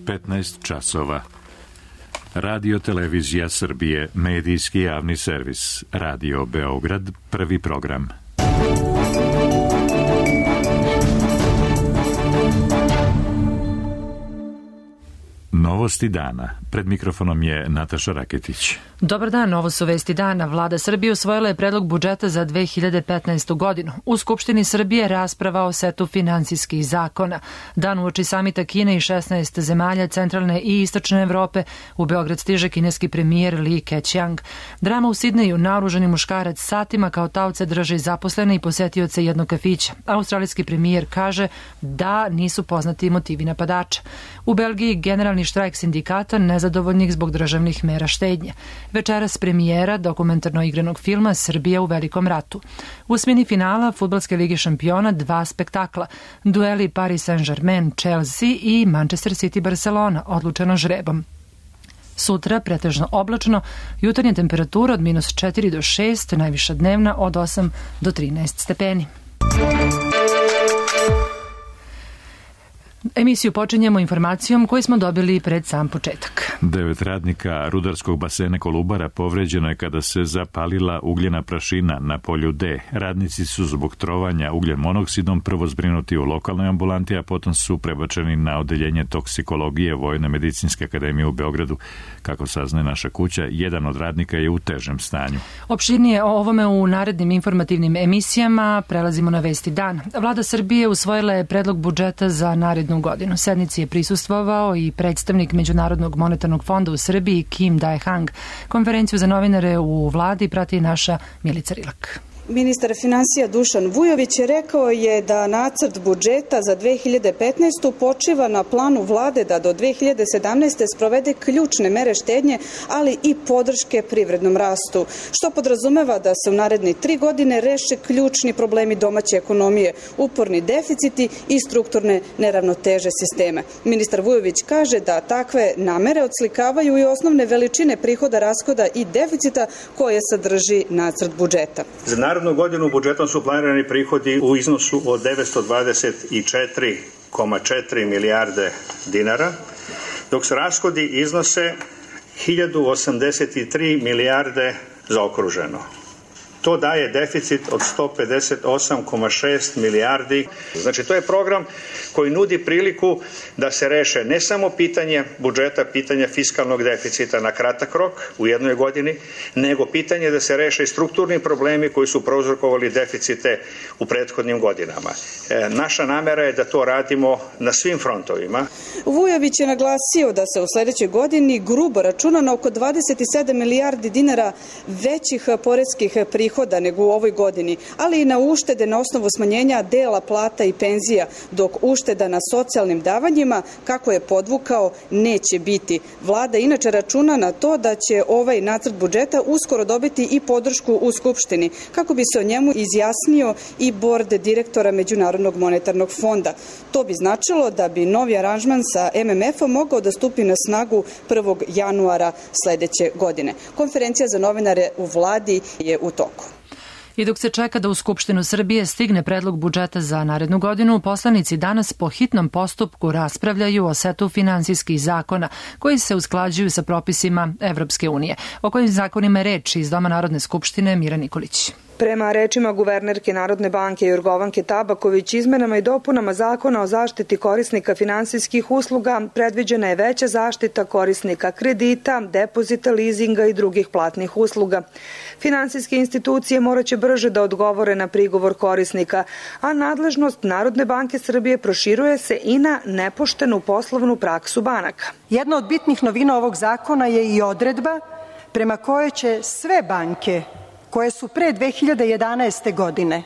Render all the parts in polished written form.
15 časova. Radio Televizija Srbije, medijski javni servis. Radio Beograd, prvi program. Novosti dana. Pred mikrofonom je Nataša Raketić. Dobar dan, ovo su vesti dana. Vlada Srbije usvojila je predlog budžeta za 2015. godinu. U Skupštini Srbije rasprava o setu finansijskih zakona. Dan uoči samita Kine i 16 zemalja centralne i istočne Evrope, u Beograd stiže kineski premijer Li Keqiang. Drama u Sidneju, naoružani muškarac satima kao taoce drži zaposlene i posetioce jednog kafića. Australijski premijer kaže da nisu poznati motivi napadača. U Belgiji generalni štrajk sindikata nezadovoljnih zbog državnih mera štednje. Večeras premijera dokumentarno igranog filma Srbija u velikom ratu. U osmini finala Fudbalske lige šampiona 2 spektakla. Dueli Paris Saint-Germain, Chelsea i Manchester City Barcelona, odlučeno žrebom. Sutra pretežno oblačno, jutarnja temperatura od -4 do 6, najviša dnevna od 8 do 13 stepeni. Emisiju počinjemo informacijom koju smo dobili pred sam početak. 9 radnika rudarskog basena Kolubara povređeno je kada se zapalila ugljena prašina na polju D. Radnici su zbog trovanja ugljen monoksidom prvo zbrinuti u lokalnoj ambulanti, a potom su prebačeni na odeljenje toksikologije Vojne medicinske akademije u Beogradu. Kako saznaje naša kuća, jedan od radnika je u težem stanju. Opširnije o ovome u narednim informativnim emisijama. Prelazimo na vesti dana. Vlada Srbije usvojila je predlog budžeta za narednu godinu. Sednici je prisustvovao i predstavnik Međunarodnog monetarnog fonda u Srbiji Kim Dae-hang. Konferenciju za novinare u vladi prati naša Milica Rilak. Ministar finansija Dušan Vujović rekao je da nacrt budžeta za 2015. počiva na planu vlade da do 2017. sprovede ključne mere štednje, ali i podrške privrednom rastu, što podrazumeva da se u naredne 3 godine reše ključni problemi domaće ekonomije, uporni deficiti i strukturne neravnoteže sistema. Ministar Vujović kaže da takve namere odslikavaju i osnovne veličine prihoda, rashoda i deficita koje sadrži nacrt budžeta. Za narednu godinu budžetom su planirani prihodi u iznosu od 924,4 milijarde dinara, dok se rashodi iznose 1083 milijarde zaokruženo. To daje deficit od 158,6 milijardi. Znači, to je program koji nudi priliku da se reše ne samo pitanje budžeta, pitanje fiskalnog deficita na kratak rok u jednoj godini, nego pitanje da se reše i strukturni problemi koji su prouzrokovali deficite u prethodnim godinama. Naša namera je da to radimo na svim frontovima. Vujović je naglasio da se u sledećoj godini grubo računa na oko 27 milijardi dinara većih poreskih prihoda nego u ovoj godini, ali i na uštede na osnovu smanjenja dela plata i penzija, dok ušteda na socijalnim davanjima, kako je podvukao, neće biti. Vlada inače računa na to da će ovaj nacrt budžeta uskoro dobiti i podršku u Skupštini, kako bi se o njemu izjasnio i bord direktora Međunarodnog monetarnog fonda. To bi značilo da bi novi aranžman sa MMF-om mogao da stupi na snagu 1. januara sledeće godine. Konferencija za novinare u vladi je u toku. I dok se čeka da u Skupštinu Srbije stigne predlog budžeta za narednu godinu, poslanici danas po hitnom postupku raspravljaju o setu finansijskih zakona koji se usklađuju sa propisima Evropske unije. O kojim zakonima je reč iz Doma Narodne skupštine Mira Nikolić. Prema rečima guvernerke Narodne banke Jorgovanke Tabaković, izmenama i dopunama Zakona o zaštiti korisnika finansijskih usluga predviđena je veća zaštita korisnika kredita, depozita, lizinga i drugih platnih usluga. Finansijske institucije moraće brže da odgovore na prigovor korisnika, a nadležnost Narodne banke Srbije proširuje se i na nepoštenu poslovnu praksu banaka. Jedna od bitnih novina ovog zakona je i odredba prema kojoj će sve banke koje su pre 2011. godine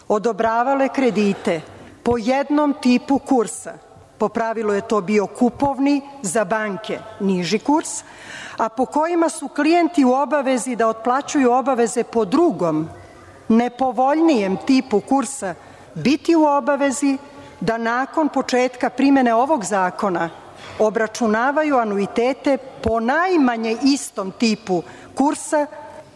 odobravale kredite po jednom tipu kursa, po pravilu je to bio kupovni, za banke niži kurs, a po kojima su klijenti u obavezi da otplaćuju obaveze po drugom, nepovoljnijem tipu kursa, biti u obavezi da nakon početka primene ovog zakona obračunavaju anuitete po najmanje istom tipu kursa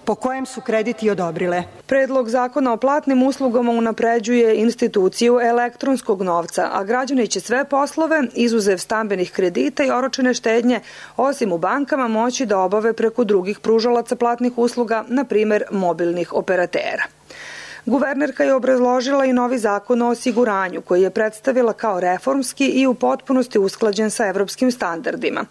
po kojem su krediti odobrile. Predlog zakona o platnim uslugama unapređuje instituciju elektronskog novca, a građani će sve poslove, izuzev stambenih kredita i oročene štednje, osim u bankama, moći da obave preko drugih pružalaca platnih usluga, na primer mobilnih operatera. Guvernerka je obrazložila i novi zakon o osiguranju, koji je predstavila kao reformski i u potpunosti usklađen sa evropskim standardima.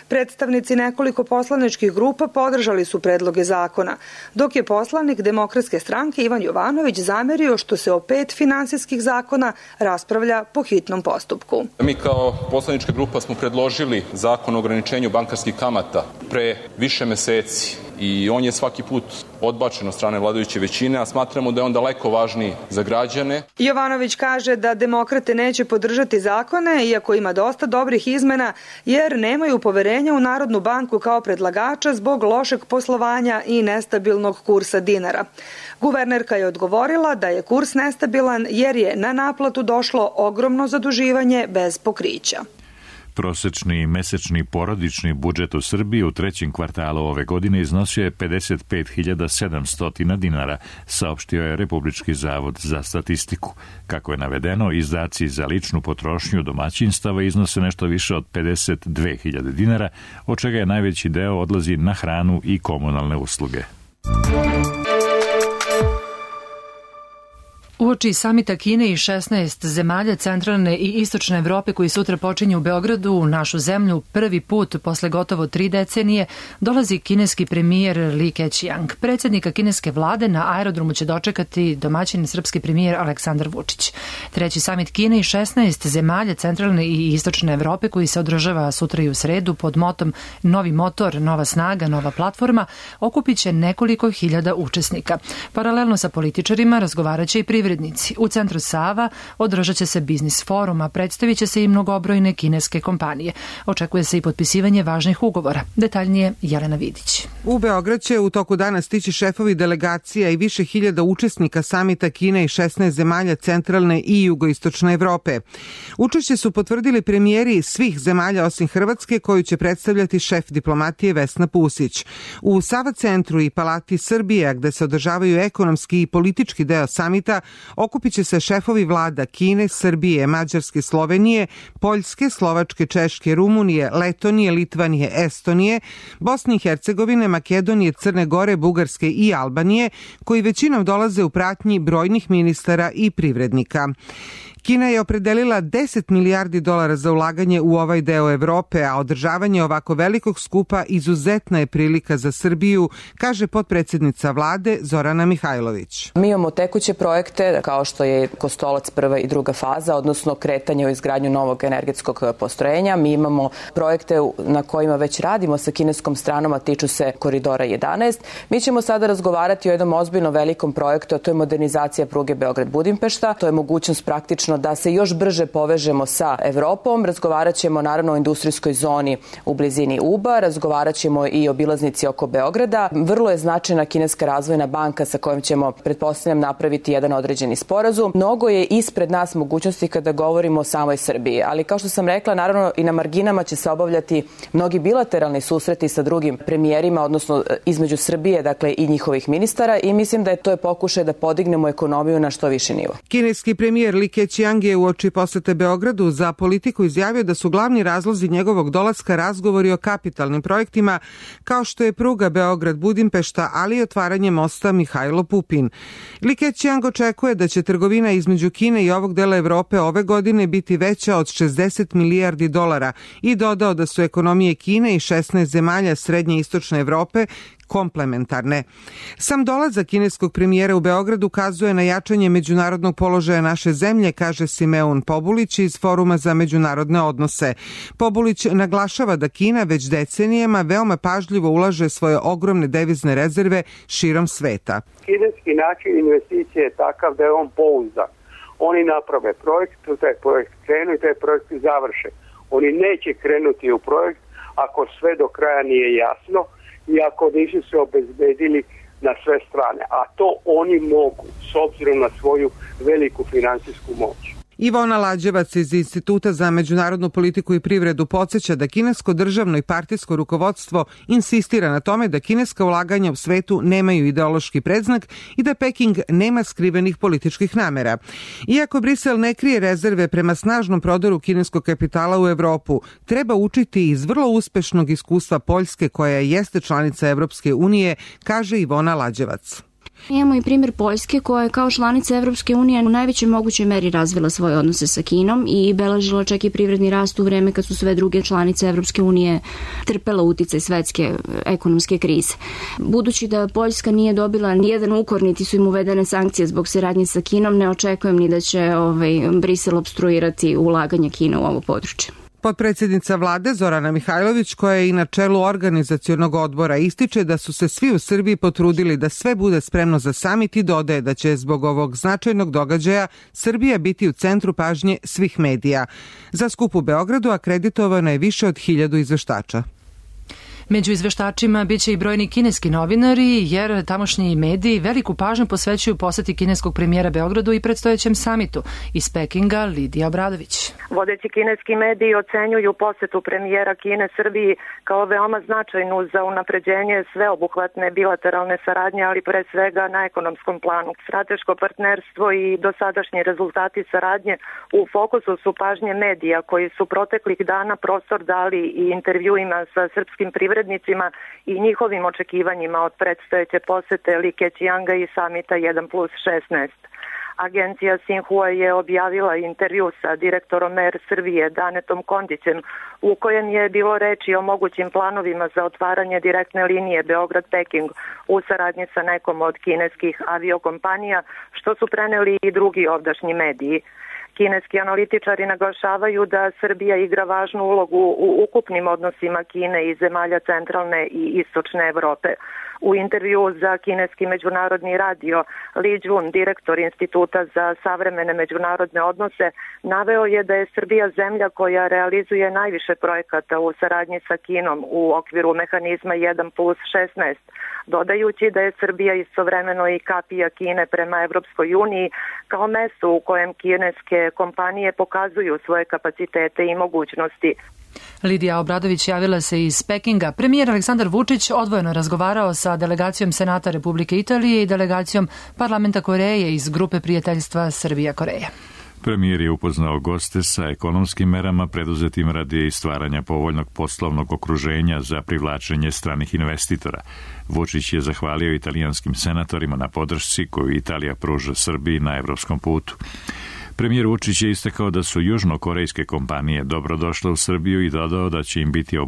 Predstavnici nekoliko poslaničkih grupa podržali su predloge zakona, dok je poslanik Demokratske stranke Ivan Jovanović zamerio što se o 5 finansijskih zakona raspravlja po hitnom postupku. Mi kao poslanička grupa smo predložili zakon o ograničenju bankarskih kamata pre više meseci i on je svaki put odbačen od strane vladajuće većine, a smatramo da je on daleko važniji za građane. Jovanović kaže da demokrate neće podržati zakone, iako ima dosta dobrih izmena, jer nemaju poverenja u Narodnu banku kao predlagača zbog lošeg poslovanja i nestabilnog kursa dinara. Guvernerka je odgovorila da je kurs nestabilan jer je na naplatu došlo ogromno zaduživanje bez pokrića. Prosečni mesečni porodični budžet u Srbiji u trećem kvartalu ove godine iznosio je 55.700 dinara, saopštio je Republički zavod za statistiku. Kako je navedeno, izdaci za ličnu potrošnju domaćinstava iznose nešto više od 52.000 dinara, od čega je najveći deo odlazi na hranu i komunalne usluge. Uoči samita Kine i 16 zemalja centralne i istočne Evrope koji sutra počinju u Beogradu, u našu zemlju, prvi put posle gotovo 3 decenije dolazi kineski premijer Li Keqiang. Predsjednika kineske vlade na aerodromu će dočekati domaćin srpski premijer Aleksandar Vučić. Treći samit Kine i 16 zemalja centralne i istočne Evrope koji se održava sutra i u sredu pod motom Novi motor, nova snaga, nova platforma, okupit će nekoliko hiljada učesnika. Paralelno sa političarima razgovarat će i privrednici. U centru Sava održat će se biznis forum, a predstavit će se i mnogobrojne kineske kompanije. Očekuje se i potpisivanje važnih ugovora. Detaljnije Jelena Vidić. U Beograd će u toku dana stići šefovi delegacija i više hiljada učesnika samita Kine i 16 zemalja centralne i jugoistočne Evrope. Učešće su potvrdili premijeri svih zemalja osim Hrvatske, koju će predstavljati šef diplomatije Vesna Pusić. U Sava centru i Palati Srbije, gde se održavaju ekonomski i politički deo samita, okupit će se šefovi vlada Kine, Srbije, Mađarske, Slovenije, Poljske, Slovačke, Češke, Rumunije, Letonije, Litvanije, Estonije, Bosne i Hercegovine, Makedonije, Crne Gore, Bugarske i Albanije, koji većinom dolaze u pratnji brojnih ministara i privrednika. Kina je opredelila 10 milijardi dolara za ulaganje u ovaj deo Evrope, a održavanje ovako velikog skupa izuzetna je prilika za Srbiju, kaže potpredsjednica vlade Zorana Mihajlović. Mi imamo tekuće projekte kao što je Kostolac prva i druga faza, odnosno kretanje u izgradnju novog energetskog postrojenja. Mi imamo projekte na kojima već radimo sa kineskom stranom, a tiču se Koridora 11. Mi ćemo sada razgovarati o jednom ozbiljno velikom projektu, a to je modernizacija pruge Beograd-Budimpešta. To je mogućnost praktično da se još brže povežemo sa Evropom. Razgovarat ćemo naravno o industrijskoj zoni u blizini Uba, razgovarat ćemo i o obilaznici oko Beograda. Vrlo je značajna kineska razvojna banka sa kojom ćemo, pretpostavljam, napraviti jedan određeni sporazum. Mnogo je ispred nas mogućnosti kada govorimo o samoj Srbiji, ali kao što sam rekla, naravno i na marginama će se obavljati mnogi bilateralni susreti sa drugim premijerima, odnosno između Srbije, dakle i njihovih ministara, i mislim da je to pokušaj da podignemo ekonomiju na što viši nivo. Kineski premijer Li Keqiang je uoči posete Beogradu za politiku izjavio da su glavni razlozi njegovog dolaska razgovori o kapitalnim projektima kao što je pruga Beograd-Budimpešta, ali i otvaranje mosta Mihajlo Pupin. Li Keqiang očekuje da će trgovina između Kine i ovog dela Evrope ove godine biti veća od 60 milijardi dolara i dodao da su ekonomije Kine i 16 zemalja srednje i istočne Evrope komplementarne. Sam dolazak kineskog premijera u Beograd ukazuje na jačanje međunarodnog položaja naše zemlje, kaže Simeon Pobulić iz Foruma za međunarodne odnose. Pobulić naglašava da Kina već decenijama veoma pažljivo ulaže svoje ogromne devizne rezerve širom sveta. Kineski način investicije je takav da je on pouzdan. Oni naprave projekt, taj projekt krenu i taj projekt završe. Oni neće krenuti u projekt ako sve do kraja nije jasno i ako nisu se obezbedili na sve strane. A to oni mogu, s obzirom na svoju veliku finansijsku moć. Ivona Lađevac iz Instituta za međunarodnu politiku i privredu podsjeća da kinesko državno i partijsko rukovodstvo insistira na tome da kineska ulaganja u svetu nemaju ideološki predznak i da Peking nema skrivenih političkih namera. Iako Brisel ne krije rezerve prema snažnom prodoru kineskog kapitala u Evropu, treba učiti iz vrlo uspešnog iskustva Poljske koja jeste članica Evropske unije, kaže Ivona Lađevac. Imamo i primjer Poljske koja je kao članica Evropske unije u najvećoj mogućoj meri razvila svoje odnose sa Kinom i beležila čak i privredni rast u vreme kad su sve druge članice Evropske unije trpela uticaj svetske ekonomske krize. Budući da Poljska nije dobila nijedan ukor, niti su im uvedene sankcije zbog saradnje sa Kinom, ne očekujem ni da će Brisel opstruirati ulaganje Kine u ovo područje. Potpredsjednica vlade Zorana Mihajlović, koja je i na čelu organizacionog odbora, ističe da su se svi u Srbiji potrudili da sve bude spremno za samit i dodaje da će zbog ovog značajnog događaja Srbija biti u centru pažnje svih medija. Za skup u Beogradu akreditovano je više od 1000 izveštača. Među izveštačima biće i brojni kineski novinari, jer tamošnji mediji veliku pažnju posvećuju poseti kineskog premijera Beogradu i predstojećem samitu. Iz Pekinga Lidija Obradović. Vodeći kineski mediji ocenjuju posetu premijera Kine Srbiji kao veoma značajnu za unapređenje sveobuhvatne bilateralne saradnje, ali pre svega na ekonomskom planu. Strateško partnerstvo i dosadašnji rezultati saradnje u fokusu su pažnje medija koji su proteklih dana prostor dali i intervjuima sa srpskim privrednicima i njihovim očekivanjima od predstojeće posete Li Keqianga i samita 1+16. Agencija Xinhua je objavila intervju sa direktorom Air Srbije Danetom Kondićem u kojem je bilo reči o mogućim planovima za otvaranje direktne linije Beograd-Peking u saradnji sa nekom od kineskih aviokompanija, što su preneli i drugi ovdašnji mediji. Kineski analitičari naglašavaju da Srbija igra važnu ulogu u ukupnim odnosima Kine i zemalja centralne i istočne Evrope. U intervju za kineski međunarodni radio, Li Jun, direktor Instituta za savremene međunarodne odnose, naveo je da je Srbija zemlja koja realizuje najviše projekata u saradnji sa Kinom u okviru mehanizma 1+16, dodajući da je Srbija istovremeno i kapija Kine prema Evropskoj uniji kao mesto u kojem kineske kompanije pokazuju svoje kapacitete i mogućnosti. Lidija Obradović javila se iz Pekinga. Premijer Aleksandar Vučić odvojeno razgovarao sa delegacijom Senata Republike Italije i delegacijom Parlamenta Koreje iz grupe prijateljstva Srbija-Koreja. Premijer je upoznao goste sa ekonomskim merama preduzetim radi stvaranja povoljnog poslovnog okruženja za privlačenje stranih investitora. Vučić je zahvalio italijanskim senatorima na podršci koju Italija pruža Srbiji na evropskom putu. Premijer Vučić je istakao da su južnokorejske kompanije dobro došle u Srbiju i dodao da će im biti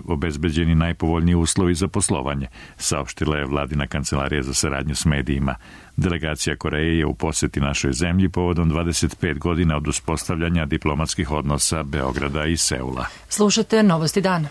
obezbeđeni najpovoljniji uslovi za poslovanje, saopštila je vladina kancelarija za saradnju s medijima. Delegacija Koreje je u poseti našoj zemlji povodom 25 godina od uspostavljanja diplomatskih odnosa Beograda i Seula. Slušate Novosti dana.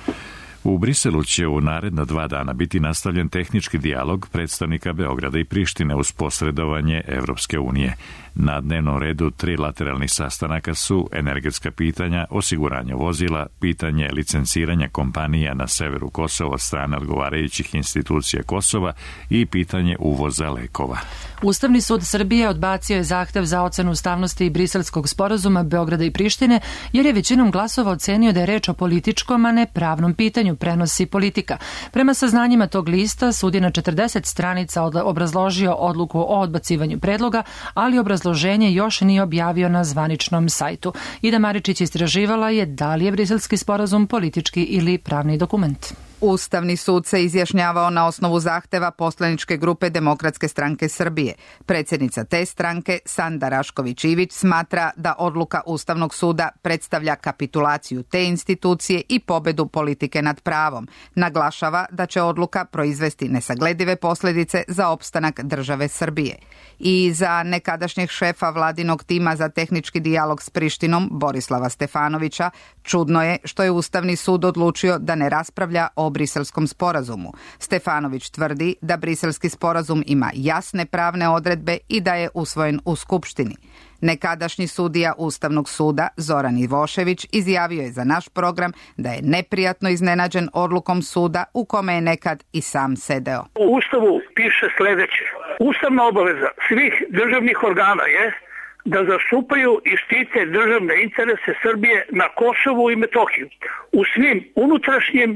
U Briselu će u naredna 2 dana biti nastavljen tehnički dijalog predstavnika Beograda i Prištine uz posredovanje Evropske unije. Na dnevnom redu 3 lateralnih sastanaka su energetska pitanja, osiguranje vozila, pitanje licenciranja kompanija na severu Kosova od strane odgovarajućih institucija Kosova i pitanje uvoza lekova. Ustavni sud Srbije odbacio je zahtev za ocenu ustavnosti Briselskog sporazuma Beograda i Prištine, jer je većinom glasova ocenio da je reč o političkom, a ne pravnom pitanju, prenosi Politika. Prema saznanjima tog lista, sud je na 40 stranica obrazložio odluku o odbacivanju predloga, ali obrazloženje još nije objavio na zvaničnom sajtu. Ida Maričić istraživala je da li je Briselski sporazum politički ili pravni dokument. Ustavni sud se izjašnjavao na osnovu zahteva poslaničke grupe Demokratske stranke Srbije. Predsjednica te stranke, Sanda Rašković-Ivić, smatra da odluka Ustavnog suda predstavlja kapitulaciju te institucije i pobedu politike nad pravom. Naglašava da će odluka proizvesti nesagledive posljedice za opstanak države Srbije. I za nekadašnjeg šefa vladinog tima za tehnički dijalog s Prištinom, Borislava Stefanovića, čudno je što je Ustavni sud odlučio da ne raspravlja o Briselskom sporazumu. Stefanović tvrdi da Briselski sporazum ima jasne pravne odredbe i da je usvojen u Skupštini. Nekadašnji sudija Ustavnog suda Zoran Ivošević izjavio je za naš program da je neprijatno iznenađen odlukom suda u kome je nekad i sam sedeo. U Ustavu piše sljedeće. Ustavna obaveza svih državnih organa je da zastupaju i štite državne interese Srbije na Kosovu i Metohiju u svim unutrašnjim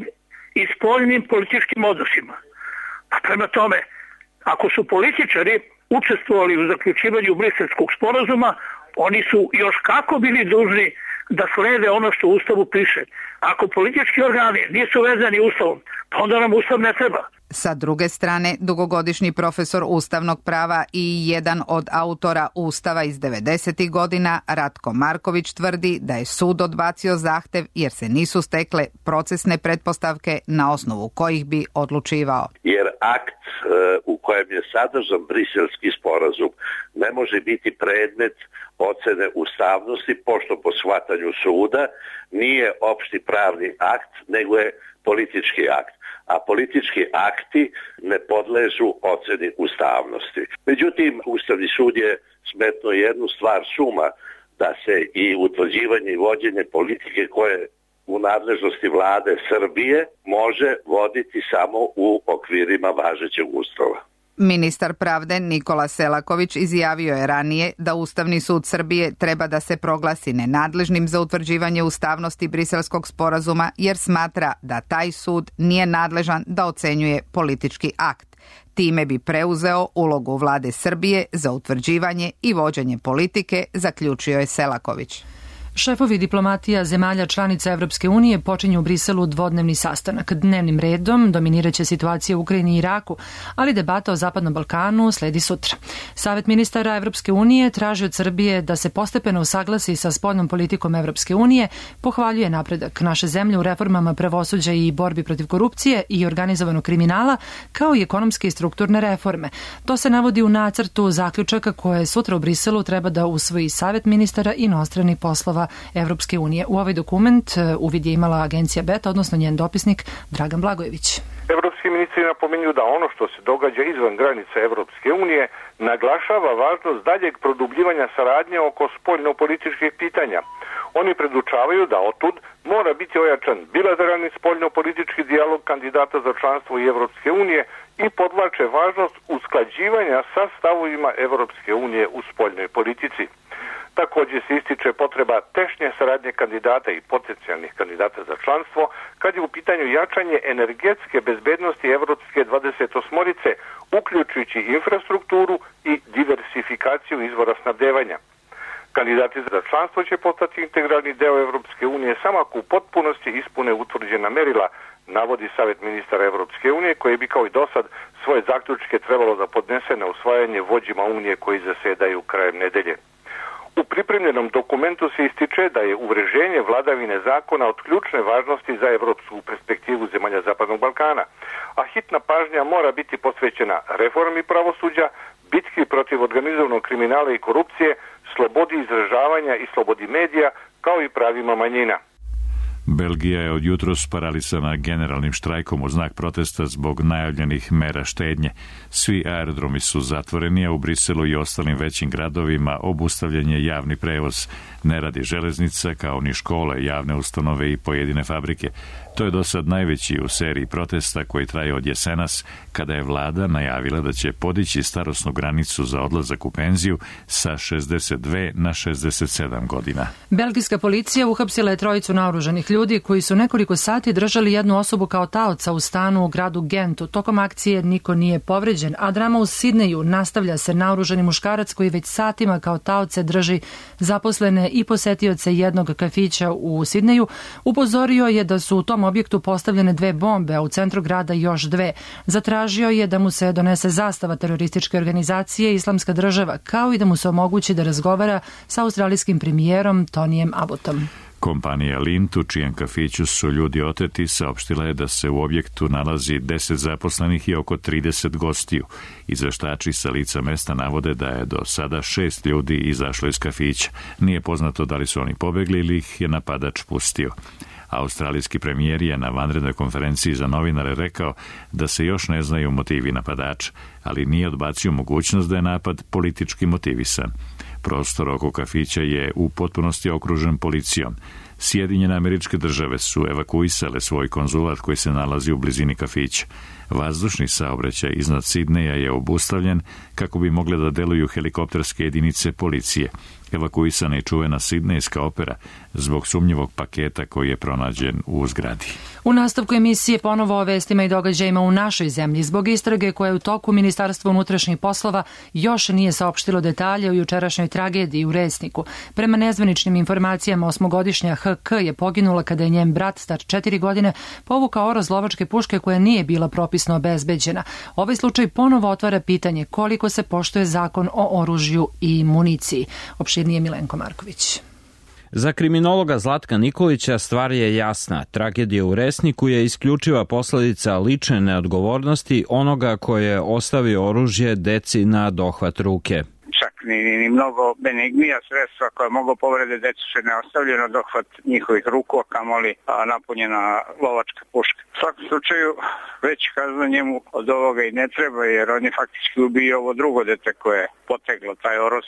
i spoljnim političkim odnosima. A prema tome, ako su političari učestvovali u zaključivanju Briselskog sporazuma, oni su još kako bili dužni da slede ono što u Ustavu piše. Ako politički organi nisu vezani Ustavom, pa onda nam Ustav ne treba. Sa druge strane, dugogodišnji profesor ustavnog prava i jedan od autora Ustava iz 90. godina, Ratko Marković, tvrdi da je sud odbacio zahtev jer se nisu stekle procesne pretpostavke na osnovu kojih bi odlučivao. Jer akt u kojem je sadržan Briselski sporazum ne može biti predmet ocene ustavnosti, pošto po shvatanju suda nije opšti pravni akt, nego je politički akt. A politički akti ne podležu oceni ustavnosti. Međutim, Ustavni sud je smetnuo jednu stvar suma, da se i utvrđivanje i vođenje politike koje u nadležnosti vlade Srbije može voditi samo u okvirima važećeg Ustava. Ministar pravde Nikola Selaković izjavio je ranije da Ustavni sud Srbije treba da se proglasi nenadležnim za utvrđivanje ustavnosti Briselskog sporazuma jer smatra da taj sud nije nadležan da ocenjuje politički akt. Time bi preuzeo ulogu vlade Srbije za utvrđivanje i vođenje politike, zaključio je Selaković. Šefovi diplomatija zemalja članica Evropske unije počinju u Briselu dvodnevni sastanak. Dnevnim redom dominiraće situacija u Ukrajini i Iraku, ali debata o Zapadnom Balkanu sledi sutra. Savet ministara Evropske unije traži od Srbije da se postepeno usaglasi sa spoljnom politikom Evropske unije, pohvaljuje napredak naše zemlje u reformama pravosuđa i borbi protiv korupcije i organizovanog kriminala, kao i ekonomske i strukturne reforme. To se navodi u nacrtu zaključaka koje sutra u Briselu treba da usvoji Savet ministara inostranih poslova Evropske unije. U ovaj dokument uvid je imala agencija Beta, odnosno njen dopisnik Dragan Blagojević. Evropski ministri napominju da ono što se događa izvan granica Evropske unije naglašava važnost daljeg produbljivanja saradnje oko spoljno-političkih pitanja. Oni predučavaju da otud mora biti ojačan bilateralni spoljno-politički dijalog kandidata za članstvo i Evropske unije i podvlače važnost usklađivanja sa stavovima Evropske unije u spoljnoj politici. Također se ističe potreba tešnje saradnje kandidata i potencijalnih kandidata za članstvo kad je u pitanju jačanje energetske bezbednosti Evropske 28-orice, uključujući infrastrukturu i diversifikaciju izvora snabdevanja. Kandidati za članstvo će postati integralni deo Evropske unije samo ako u potpunosti ispune utvrđena merila, navodi Savet ministara Evropske unije, koji bi kao i dosad svoje zaključke trebalo da podnese na usvajanje vođima unije koji zasedaju krajem nedelje. U pripremljenom dokumentu se ističe da je uvreženje vladavine zakona od ključne važnosti za evropsku perspektivu zemalja Zapadnog Balkana, a hitna pažnja mora biti posvećena reformi pravosuđa, bitki protiv organizovanog kriminala i korupcije, slobodi izražavanja i slobodi medija, kao i pravima manjina. Belgija je od jutros paralisana generalnim štrajkom u znak protesta zbog najavljenih mera štednje. Svi aerodromi su zatvoreni, a u Briselu i ostalim većim gradovima obustavljen je javni prevoz. Ne radi železnica, kao ni škole, javne ustanove i pojedine fabrike. To je do sad najveći u seriji protesta koji traje od jesenas, kada je vlada najavila da će podići starosnu granicu za odlazak u penziju sa 62 na 67 godina. Belgijska policija uhapsila je trojicu naoružanih ljudi koji su nekoliko sati držali jednu osobu kao taoca u stanu u gradu Gentu. Tokom akcije niko nije povređen, a drama u Sidneju nastavlja se. Naoružani muškarac koji već satima kao taoce drži zaposlene i posetioce jednog kafića u Sidneju upozorio je da su u tom objektu postavljene 2 bombe, a u centru grada još 2. Zatražio je da mu se donese zastava terorističke organizacije Islamska država, kao i da mu se omogući da razgovara sa australijskim premijerom Tonijem Abbotom. Kompanija Lindt, u čijem kafiću su ljudi oteti, saopštila je da se u objektu nalazi 10 zaposlenih i oko 30 gostiju. Izveštači sa lica mesta navode da je do sada 6 ljudi izašlo iz kafića. Nije poznato da li su oni pobegli ili ih je napadač pustio. Australijski premijer je na vanrednoj konferenciji za novinare rekao da se još ne znaju motivi napadača, ali nije odbacio mogućnost da je napad politički motivisan. Prostor oko kafića je u potpunosti okružen policijom. Sjedinjene Američke Države su evakuisale svoj konzulat koji se nalazi u blizini kafića. Vazdušni saobraćaj iznad Sidneja je obustavljen kako bi mogle da deluju helikopterske jedinice policije. Evakuisana je čuvena sidnejska opera zbog sumnjivog paketa koji je pronađen u zgradi. U nastavku emisije ponovo o vestima i događajima u našoj zemlji. Zbog istrage koja je u toku, Ministarstvo unutrašnjih poslova još nije saopštilo detalje o jučerašnjoj tragediji u Resniku. Prema nezvaničnim informacijama, 8-godišnja HK je poginula kada je njen brat, star 4 godine, povukao oroz lovačke puške koja nije bila propisno obezbeđena. Ovaj slučaj ponovo otvara pitanje koliko se poštuje zakon o oružju i municiji. Opširnije Milenko Marković. Za kriminologa Zlatka Nikolića stvar je jasna. Tragedija u Resniku je isključiva posledica lične neodgovornosti onoga koje je ostavio oružje deci na dohvat ruke. Čak ni mnogo benignija sredstva koja mogu povrede decu se ne ostavljaju na dohvat njihovih ruku, a kamoli napunjena lovačka puška. U svakom slučaju već kazna njemu od ovoga i ne treba, jer on je faktički ubio ovo drugo dete koje je poteglo taj oroz.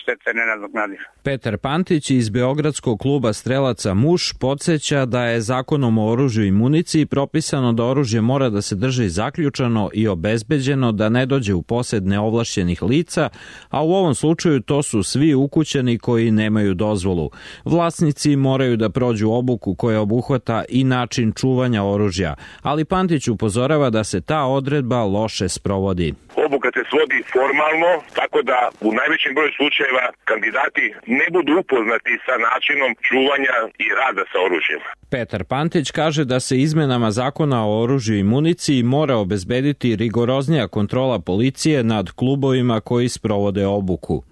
Štete nenadoknadive. Petar Pantić iz Beogradskog kluba strelaca Muš podsjeća da je zakonom o oružju i municiji propisano da oružje mora da se drži zaključano i obezbeđeno, da ne dođe u posed neovlašćenih lica, a u ovom slučaju to su svi ukućani koji nemaju dozvolu. Vlasnici moraju da prođu obuku koja obuhvata i način čuvanja oružja, ali Pantić upozorava da se ta odredba loše sprovodi. Obuka se svodi formalno, tako da u najvećem broju slučajeva kandidati ne budu upoznati sa načinom čuvanja i rada sa oružjem. Petar Pantić kaže da se izmenama zakona o oružju i municiji mora obezbediti rigoroznija kontrola policije nad klubovima koji sprovode obuku.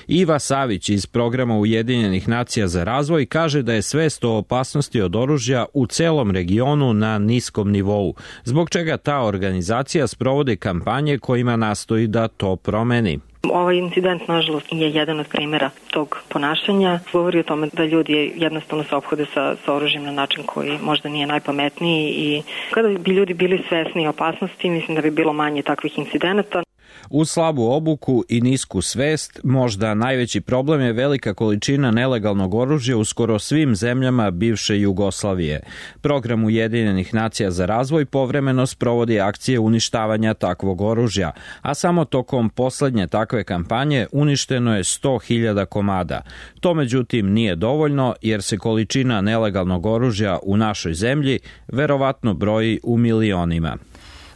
Iva Savić iz programa Ujedinjenih nacija za razvoj kaže da je svest o opasnosti od oružja u celom regionu na niskom nivou, zbog čega ta organizacija sprovodi kampanje kojima nastoji da to promeni. Ovaj incident, nažalost, je jedan od primjera tog ponašanja. Govori o tome da ljudi jednostavno se ophode sa oružjem na način koji možda nije najpametniji i kada bi ljudi bili svesni opasnosti, mislim da bi bilo manje takvih incidenata. Uz slabu obuku i nisku svest, možda najveći problem je velika količina nelegalnog oružja u skoro svim zemljama bivše Jugoslavije. Program Ujedinjenih nacija za razvoj povremeno sprovodi akcije uništavanja takvog oružja, a samo tokom poslednje takve kampanje uništeno je 100.000 komada. To međutim nije dovoljno, jer se količina nelegalnog oružja u našoj zemlji verovatno broji u milionima.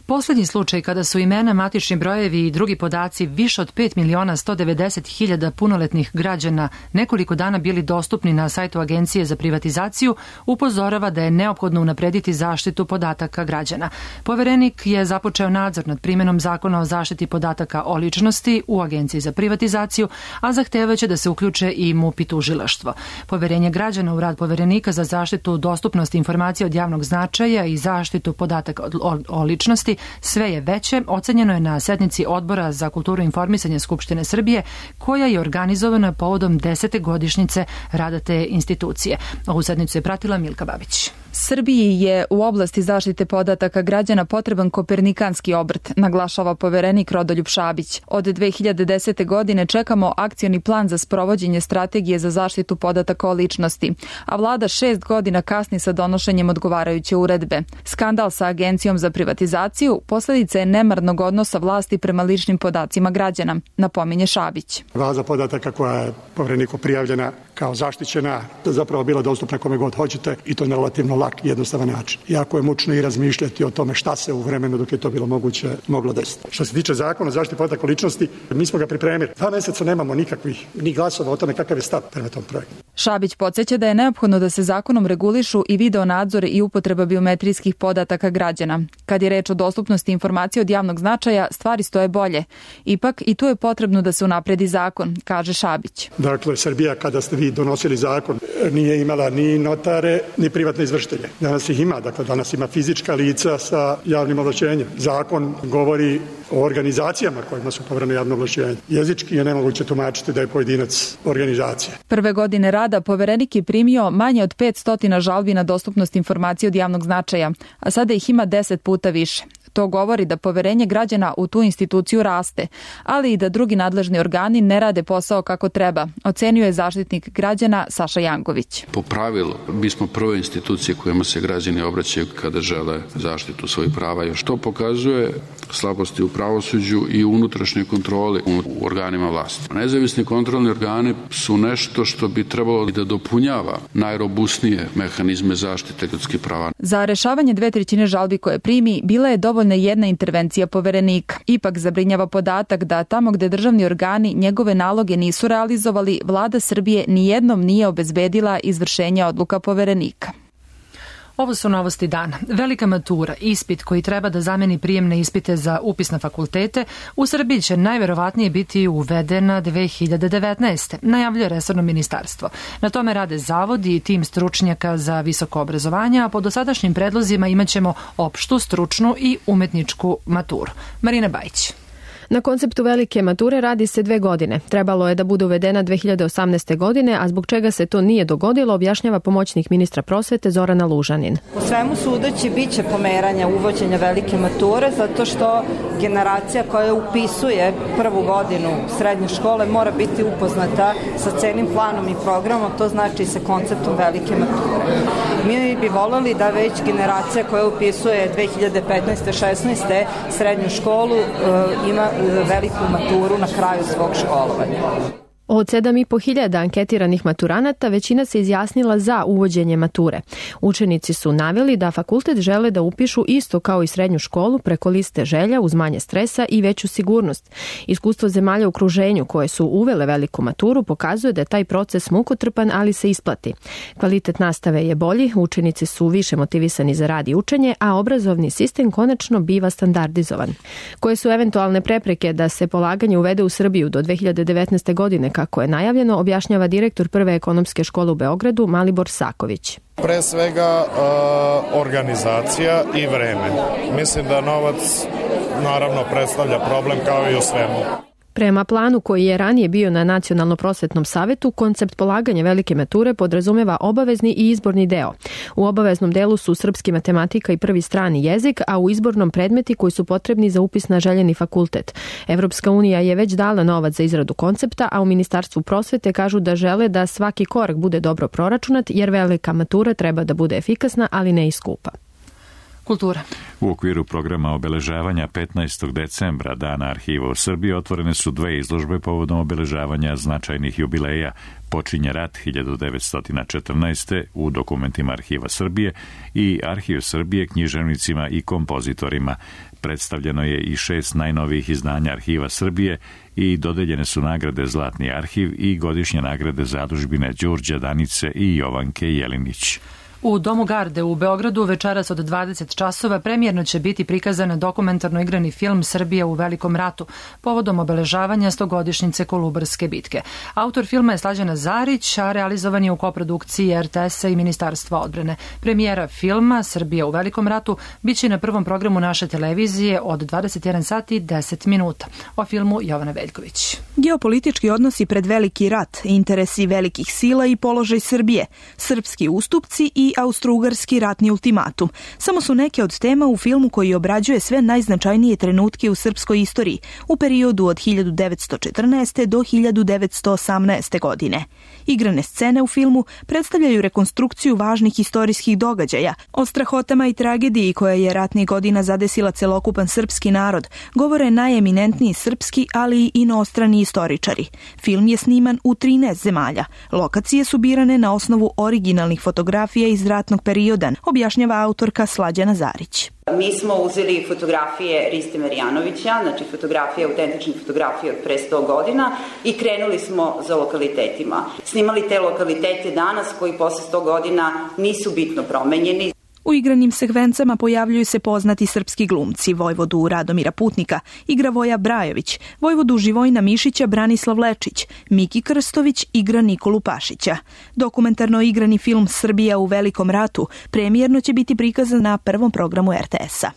Poslednji slučaj kada su imena, matični brojevi i drugi podaci više od 5.190.000 punoletnih građana nekoliko dana bili dostupni na sajtu Agencije za privatizaciju upozorava da je neophodno unaprediti zaštitu podataka građana. Poverenik je započeo nadzor nad primenom zakona o zaštiti podataka o ličnosti u Agenciji za privatizaciju, a zahtevaće da se uključe i MUP i tužilaštvo. Poverenje građana u rad Poverenika za zaštitu dostupnosti informacija od javnog značaja i zaštitu podataka o ličnosti sve je veće, ocenjeno je na sednici Odbora za kulturu i informisanje Skupštine Srbije, koja je organizovana povodom 10. godišnjice rada te institucije. Ovu sednicu je pratila Milka Babić. Srbiji je u oblasti zaštite podataka građana potreban kopernikanski obrt, naglašava poverenik Rodoljub Šabić. Od 2010. godine čekamo akcioni plan za sprovođenje strategije za zaštitu podataka o ličnosti, a vlada 6 godina kasni sa donošenjem odgovarajuće uredbe. Skandal sa Agencijom za privatizaciju posledica je nemarnog odnosa vlasti prema ličnim podacima građana, napominje Šabić. Baza podataka koja je povereniku prijavljena kao zaštićena, zapravo bila dostupna kome god hoćete i to na relativno lak i jednostavan način. Jako je mučno i razmišljati o tome šta se u vremenu dok je to bilo moguće moglo desiti. Što se tiče zakona o zaštiti podataka o ličnosti, mi smo ga pripremili. 2 meseca nemamo nikakvih ni glasova o tome kakav je stav prema tom projektu. Šabić podsjeća da je neophodno da se zakonom regulišu i video nadzor i upotreba biometrijskih podataka građana. Kad je reč o dostupnosti informacija od javnog značaja, stvari stoje bolje. Ipak i tu je potrebno da se unapredi zakon, kaže Šabić. Dakle, Srbija kada ste vi donosili zakon nije imala ni notare, ni privatne izvršitelje. Danas ih ima, dakle danas ima fizička lica sa javnim ovlašćenjem. Zakon govori o organizacijama kojima su poverena javno ovlašćenje. Jezički je nemoguće tumačiti da je pojedinac organizacija. Prve godine rada poverenik je primio manje od 500 žalbi na dostupnost informacija od javnog značaja, a sada ih ima 10 puta više. To govori da poverenje građana u tu instituciju raste, ali i da drugi nadležni organi ne rade posao kako treba, ocenio je zaštitnik građana Saša Janković. Po pravilu, mi smo prve institucije kojima se građani obraćaju kada žele zaštitu svojih prava, još to pokazuje slabosti u pravosuđu i u unutrašnjoj kontroli u organima vlasti. Nezavisni kontrolni organi su nešto što bi trebalo da dopunjava najrobusnije mehanizme zaštite ljudskih prava. Za rešavanje 2/3 žalbi koje primi bila je dovoljna jedna intervencija Poverenika. Ipak zabrinjava podatak da tamo gde državni organi njegove naloge nisu realizovali, vlada Srbije nijednom nije obezbedila izvršenje odluka Poverenika. Ovo su novosti dana. Velika matura, ispit koji treba da zameni prijemne ispite za upis na fakultete, u Srbiji će najverovatnije biti uvedena 2019. najavljuje resorno ministarstvo. Na tome rade zavodi i tim stručnjaka za visoko obrazovanje, a po dosadašnjim predlozima imaćemo opštu, stručnu i umetničku maturu. Marina Bajić. Na konceptu velike mature radi se 2 godine. Trebalo je da bude uvedena 2018. godine, a zbog čega se to nije dogodilo, objašnjava pomoćnik ministra prosvete Zorana Lužanin. U svemu sudeći biće pomeranja uvođenja velike mature, zato što generacija koja upisuje prvu godinu srednje škole mora biti upoznata sa celim planom i programom, to znači sa konceptom velike mature. Mi bi voleli da već generacija koja upisuje 2015-16. srednju školu ima veliku maturu na kraju svog školovanja. Od 7.500 anketiranih maturanata većina se izjasnila za uvođenje mature. Učenici su naveli da fakultet žele da upišu isto kao i srednju školu preko liste želja uz manje stresa i veću sigurnost. Iskustvo zemalja u okruženju koje su uvele veliku maturu pokazuje da je taj proces mukotrpan, ali se isplati. Kvalitet nastave je bolji, učenici su više motivisani za rad i učenje, a obrazovni sistem konačno biva standardizovan. Koje su eventualne prepreke da se polaganje uvede u Srbiju do 2019. godine, kako je najavljeno, objašnjava direktor Prve ekonomske škole u Beogradu Malibor Saković. Pre svega organizacija i vreme. Mislim da novac naravno predstavlja problem kao i u svemu. Prema planu koji je ranije bio na Nacionalno prosvetnom savetu, koncept polaganja velike mature podrazumeva obavezni i izborni deo. U obaveznom delu su srpski, matematika i prvi strani jezik, a u izbornom predmeti koji su potrebni za upis na željeni fakultet. Evropska unija je već dala novac za izradu koncepta, a u Ministarstvu prosvete kažu da žele da svaki korak bude dobro proračunat, jer velika matura treba da bude efikasna, ali ne i skupa. Kultura. U okviru programa obeležavanja 15. decembra Dana arhiva u Srbiji otvorene su 2 izložbe povodom obeležavanja značajnih jubileja. Počinje rat 1914. u dokumentima Arhiva Srbije i Arhiv Srbije književnicima i kompozitorima. Predstavljeno je i 6 najnovijih izdanja Arhiva Srbije i dodeljene su nagrade Zlatni arhiv i godišnje nagrade zadužbine Đurđa Danice i Jovanke Jelinić. U Domu Garde u Beogradu večeras od 20 časova premijerno će biti prikazan dokumentarno igrani film Srbija u Velikom ratu povodom obeležavanja 100-godišnjice Kolubarske bitke. Autor filma je Slađana Zarić, a realizovan je u koprodukciji RTS-a i Ministarstva odbrane. Premijera filma Srbija u Velikom ratu biće na prvom programu naše televizije od 21 sati i 10 minuta. O filmu Jovana Veljković. Geopolitički odnosi pred veliki rat, interesi velikih sila i položaj Srbije, srpski ustupci i austrougarski ratni ultimatum. Samo su neke od tema u filmu koji obrađuje sve najznačajnije trenutke u srpskoj istoriji u periodu od 1914. do 1918. godine. Igrane scene u filmu predstavljaju rekonstrukciju važnih istorijskih događaja. O strahotama i tragediji koja je ratnih godina zadesila celokupan srpski narod govore najeminentniji srpski, ali i inostrani istoričari. Film je sniman u 13 zemalja. Lokacije su birane na osnovu originalnih fotografija iz ratnog perioda, objašnjava autorka Slađana Zarić. Mi smo uzeli fotografije Riste Marjanovića, znači fotografije, autentične fotografije od pre 100 godina i krenuli smo za lokalitetima. Snimali te lokalitete danas koji posle 100 godina nisu bitno promenjeni. U igranim sekvencama pojavljuju se poznati srpski glumci, vojvodu Radomira Putnika igra Voja Brajović, vojvodu Živojina Mišića Branislav Lečić, Miki Krstović igra Nikolu Pašića. Dokumentarno igrani film Srbija u Velikom ratu premijerno će biti prikazan na prvom programu RTS-a.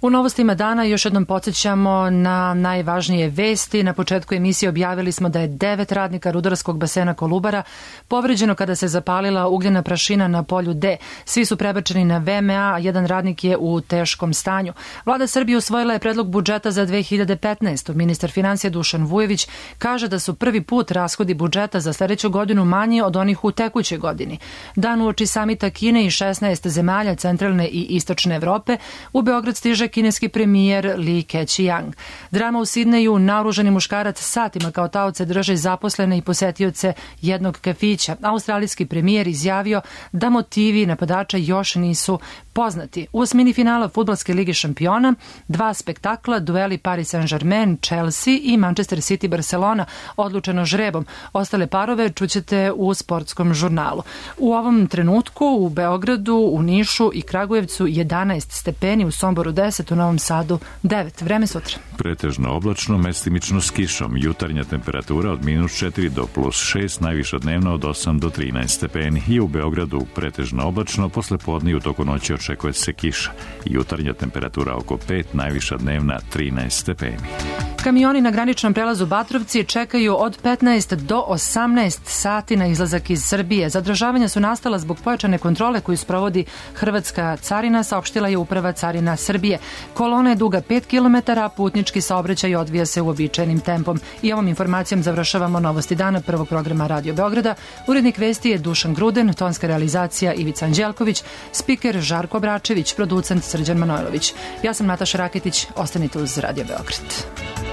U novostima dana još jednom podsjećamo na najvažnije vesti. Na početku emisije objavili smo da je 9 radnika rudarskog basena Kolubara povređeno kada se zapalila ugljena prašina na polju D. Svi su prebačeni na VMA, a jedan radnik je u teškom stanju. Vlada Srbije usvojila je predlog budžeta za 2015. Ministar financija Dušan Vujović kaže da su prvi put rashodi budžeta za sledeću godinu manji od onih u tekućoj godini. Dan uoči samita Kine i 16 zemalja centralne i istočne Evrope, u Beograd stiže kineski premijer Li Keqiang. Drama u Sidneju, naoružani muškarac satima kao taoce drže zaposlene i posetioce jednog kafića. Australijski premijer izjavio da motivi napadača još nisu poznati. U osmini finala Fudbalske lige šampiona 2 spektakla, dueli Paris Saint-Germain, Chelsea i Manchester City Barcelona, odlučeno žrebom. Ostale parove čućete u sportskom žurnalu. U ovom trenutku u Beogradu, u Nišu i Kragujevcu 11 stepeni, u Somboru 10, u Novom Sadu 9. Vreme sutra. Pretežno oblačno, mestimično s kišom. Jutarnja temperatura od -4 do +6, najviša dnevna od 8 do 13 stepeni. I u Beogradu pretežno oblačno, posle podne i u toku noći očekuje se kiša. Jutarnja temperatura oko 5, najviša dnevna 13 stepeni. Kamioni na graničnom prelazu Batrovci čekaju od 15 do 18 sati na izlazak iz Srbije. Zadržavanja su nastala zbog pojačane kontrole koju sprovodi Hrvatska carina, saopštila je Uprava carina Srbije. Kolona je duga 5 km, a putnički saobraćaj odvija se uobičajenim tempom. I ovom informacijom završavamo novosti dana prvog programa Radio Beograda. Urednik vesti je Dušan Gruden, tonska realizacija Ivica Anđelković, spiker Žarko Bračević, producent Srđan Manojlović. Ja sam Nataša Raketić, ostanite uz Radio Beograd.